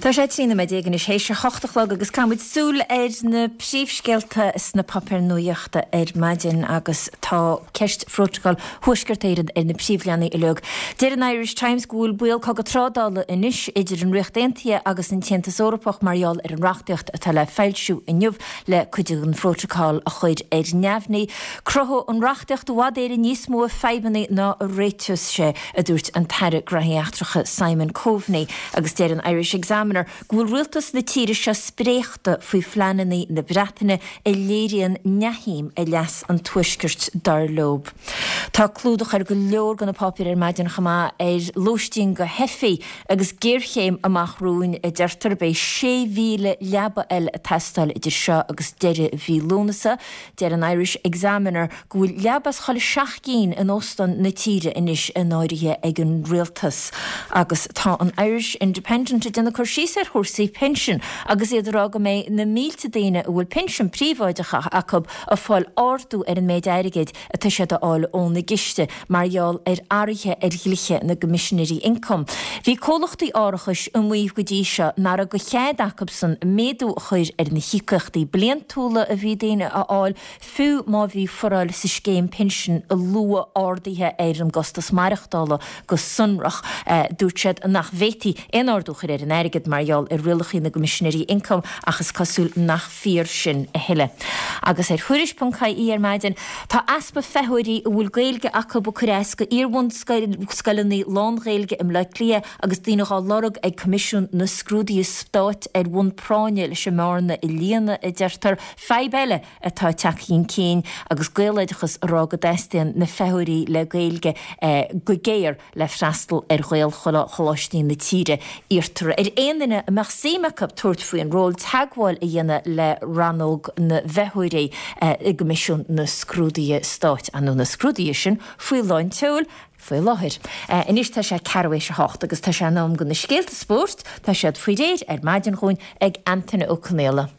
Tá sé 13 nóiméad anois théis a hocht a chlog agus caithfidh muid súil ar na príomhscéalta sna páipéir nuachta ar maidin agus tá ceist Phrótacal Thuaisceart Éireann ar na príomhleathanaigh uilig. Deir an Irish Times go bhfuil baol cogadh trádála anois idir an Ríocht Aontaithe agus an tAontas Eorpach mar gheall ar an reachtaíocht atá le foilsiú inniu le cuid den phrótacal a chur ar neamhní. Cruthóidh an reachtaíocht i bhfad Éireann níos mó fadhbanna ná a réiteos sé, a dúirt an tAire Gnóthaí Eachtracha Simon Coveney agus deir an Irish Examiner go bhfuil rialtas na tíre seo spréachta faoi phleananna na Breataine a léiríonn neamhshuim i leas an Tuaiscirt dar leo. Tá clúdach ar go leor de na páipéir ar maidin chomh maith ar lóistín do theifigh agus géarchéim amach romhainn a deirtear. Beidh 6,000 leaba eile ag teastáil idir seo agus deireadh mhí Lúnasa. Deir an Irish Examiner go bhfuil leaba as chuile sheacht gcinn in óstáin na tíre anois in áirithe ag an rialtas. Agus tá an Irish Independent ag déanamh cur síos ar chúrsaí pinsin agus iad ag rá go mbeidh na mílte daoine a bhfuil pinsean príobháideach acu ag fáil ardú ar an méid airgid atá siad a fháil óna gciste mar gheall ar athruithe ar dhlíthe na gCoimisinéirí Ioncaim. Bhí comhlachtaí árachais ag maíomh go dtí seo nach raibh de chead acusan méadú a chur ar na híocaíochtaí bliantúla a bhí daoine a fháil, fiú má bhí foráil sa scéim pinsin a luaigh arduithe ar an gcostas maireachtála go sonrach. Dúirt siad nach bhféadfaí aon ardú a chur ar an airgead mar gheall ar rialacha na gCoimisinéirí Ioncaim ach is cosúil nach fíor sin a thuilleadh. Agus ar Thuairisc.ie ar maidin, tá easpa feitheoirí a bhfuil Gaeilge acu ag cur as go iar-bhunscoileanna lán-Ghaeilge i mBleá Cliath agus daoine dhá lorg ag Coimisiún na Scrúduithe Stáit ar bhonn práinne leis an mbearna a líonadh, a deirtear. Fadhb eile atá ag teacht chun cinn agus Gaeloideachas ag rá go dteastaíonn na feitheoirí le Gaeilge go géar le freastal ar Ghaelcholáistí na tíre. Iarrtar ar aon duine a mbeadh suim acu tabhairt faoin ról teagmháil a dhéanamh le rannóg na bhfeitheoirí i gCoimisiún na Scrúduithe Stáit, ar ndóigh na scrúduithe sin faoi lán tseoil faoi láthair. Anois tá sé ceathrú théis a hocht agus tá sé in am do na scéalta spóirt, tá siad faoi réir ar maidin dhúinn ag Antaine Ó Conaola.